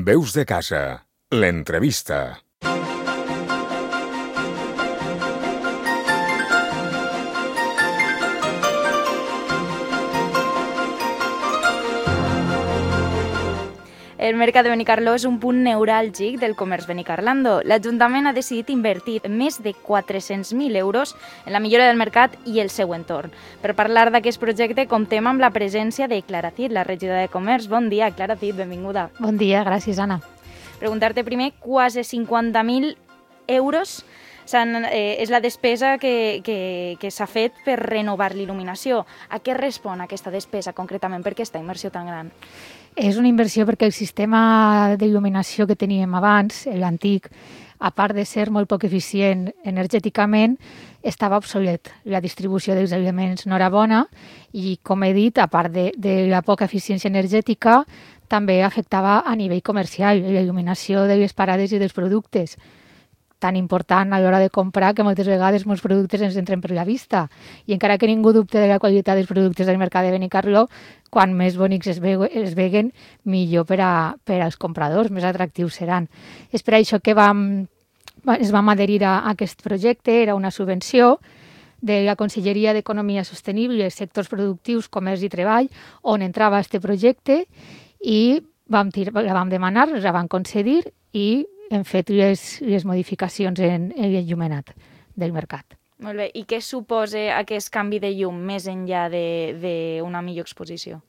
Veus de casa, l'entrevista. El mercat de Benicarló és un punt neuràlgic del comerç benicarlando. L'Ajuntament ha decidit invertir més de 400.000 euros en la millora del mercat i el seu entorn. Per parlar d'aquest projecte, comptem amb la presència de Clara Cid, la regidora de Comerç. Bon dia, Clara Cid, benvinguda. Bon dia, gràcies, Anna. Preguntar-te primer, quasi 50.000 euros és la despesa que s'ha fet per renovar l'il·luminació. A què respon aquesta despesa concretament? Per què aquesta inversió tan gran? És una inversió perquè el sistema d'il·luminació que teníem abans, l'antic, a part de ser molt poc eficient energèticament, estava obsolet. La distribució dels elements no era bona i, com he dit, a part de la poca eficiència energètica, també afectava a nivell comercial la il·luminació de les parades i dels productes, tan important a l'hora de comprar que moltes vegades molts productes ens entren per la vista. I encara que ningú dubte de la qualitat dels productes del mercat de Benicarló, quan més bonics es veguen, millor per als compradors, més atractius seran. És per això que es vam adherir a aquest projecte, era una subvenció de la Conselleria d'Economia Sostenible, Sectors Productius, Comerç i Treball, on entrava aquest projecte i la vam demanar, la van concedir i hem fet les modificacions en l'enllumenat del mercat. Molt bé. I què suposa aquest canvi de llum més enllà d'una millor exposició?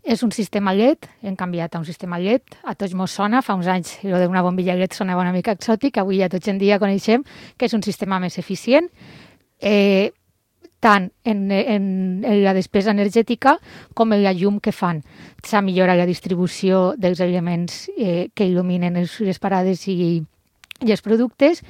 És un sistema LED, hem canviat a un sistema LED, a tots mos sona, fa uns anys allò d'una bombilla LED sonava una mica exòtic, avui ja tots en dia coneixem que és un sistema més eficient, tant en la despesa energètica com en la llum que fan. S'ha millorat la distribució dels elements que il·luminen les parades i els productes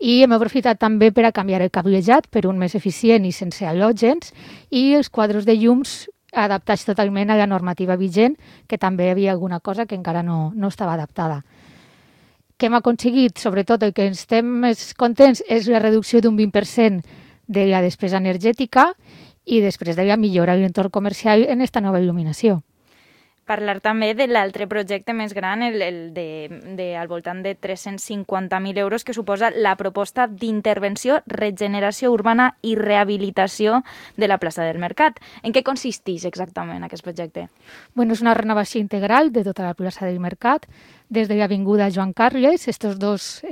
i hem aprofitat també per a canviar el cablejat per un més eficient i sense halògens i els quadres de llums adaptats totalment a la normativa vigent, que també hi havia alguna cosa que encara no estava adaptada. Què hem aconseguit? Sobretot el que estem més contents és la reducció d'un 20% de la despesa energètica i després de la millora de l'entorn comercial en aquesta nova il·luminació. Parlar també de l'altre projecte més gran, al voltant de 350.000 euros, que suposa la proposta d'intervenció, regeneració urbana i rehabilitació de la plaça del Mercat. En què consisteix exactament aquest projecte? És una renovació integral de tota la plaça del Mercat, des de l'avinguda Joan Carles, aquests dos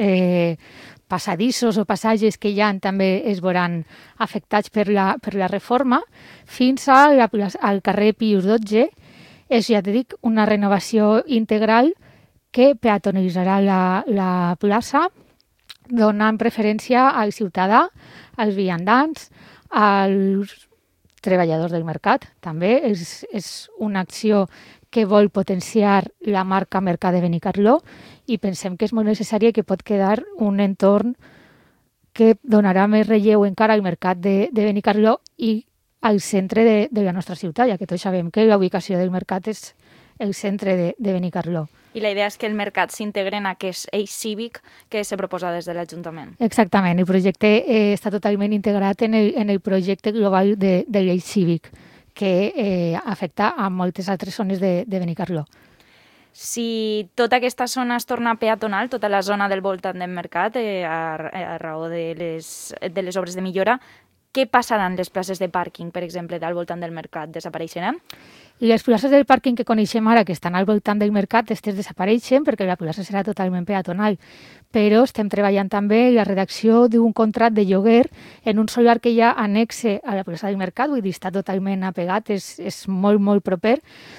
passadissos o passatges que hi ha també es veuran afectats per la reforma, fins al carrer Pius XII. És, ja t'he dit, una renovació integral que peatonalitzarà la plaça, donant preferència al ciutadà, als viandants, als treballadors del mercat. També és una acció que vol potenciar la marca Mercat de Benicarló i pensem que és molt necessari i que pot quedar un entorn que donarà més relleu encara al mercat de Benicarló i al centre de la nostra ciutat, ja que tots sabem que la ubicació del mercat és el centre de Benicarló. I la idea és que el mercat s'integri en aquest eix cívic que se proposa des de l'Ajuntament. Exactament, el projecte està totalment integrat en el projecte global de l'eix cívic, que afecta a moltes altres zones de Benicarló. Si tota aquesta zona es torna peatonal, tota la zona del voltant del mercat, a raó de les obres de millora, què passaran les places de pàrquing, per exemple, al voltant del mercat? Desapareixeran? Les places del pàrquing que coneixem ara, que estan al voltant del mercat, aquestes desapareixen perquè la plaça serà totalment peatonal. Però estem treballant també en la redacció d'un contracte de lloguer en un solar que hi ha annexe a la plaça del mercat, vull dir, està totalment apegat, és molt, molt proper,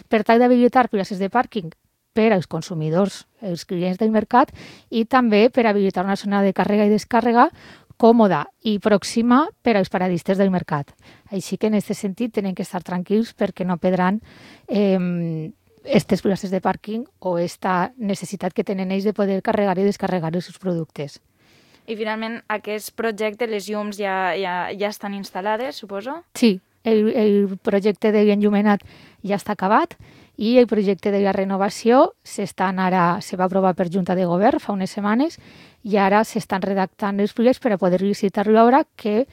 per tal d'habilitar places de pàrquing per als consumidors, els clients del mercat, i també per habilitar una zona de càrrega i descàrrega còmoda i pròxima per als paradistes del mercat. Així que en aquest sentit tenen que estar tranquils perquè no perdran aquestes places de pàrquing o aquesta necessitat que tenen ells de poder carregar i descarregar els seus productes. I finalment, aquest projecte, les llums ja estan instal·lades, suposo? Sí, el projecte de l'enllumenat ja està acabat i el projecte de la renovació se va aprovar per Junta de Govern fa unes setmanes i ara s'estan redactant els plecs per a poder licitar l'obra que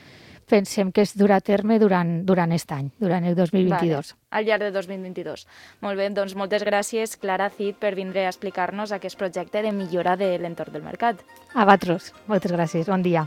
pensem que es durà a terme durant aquest any, durant el 2022. Vale, al llarg de 2022. Molt bé, doncs moltes gràcies, Clara Cid, per vindre a explicar-nos aquest projecte de millora de l'entorn del mercat. A vosaltres, moltes gràcies, bon dia.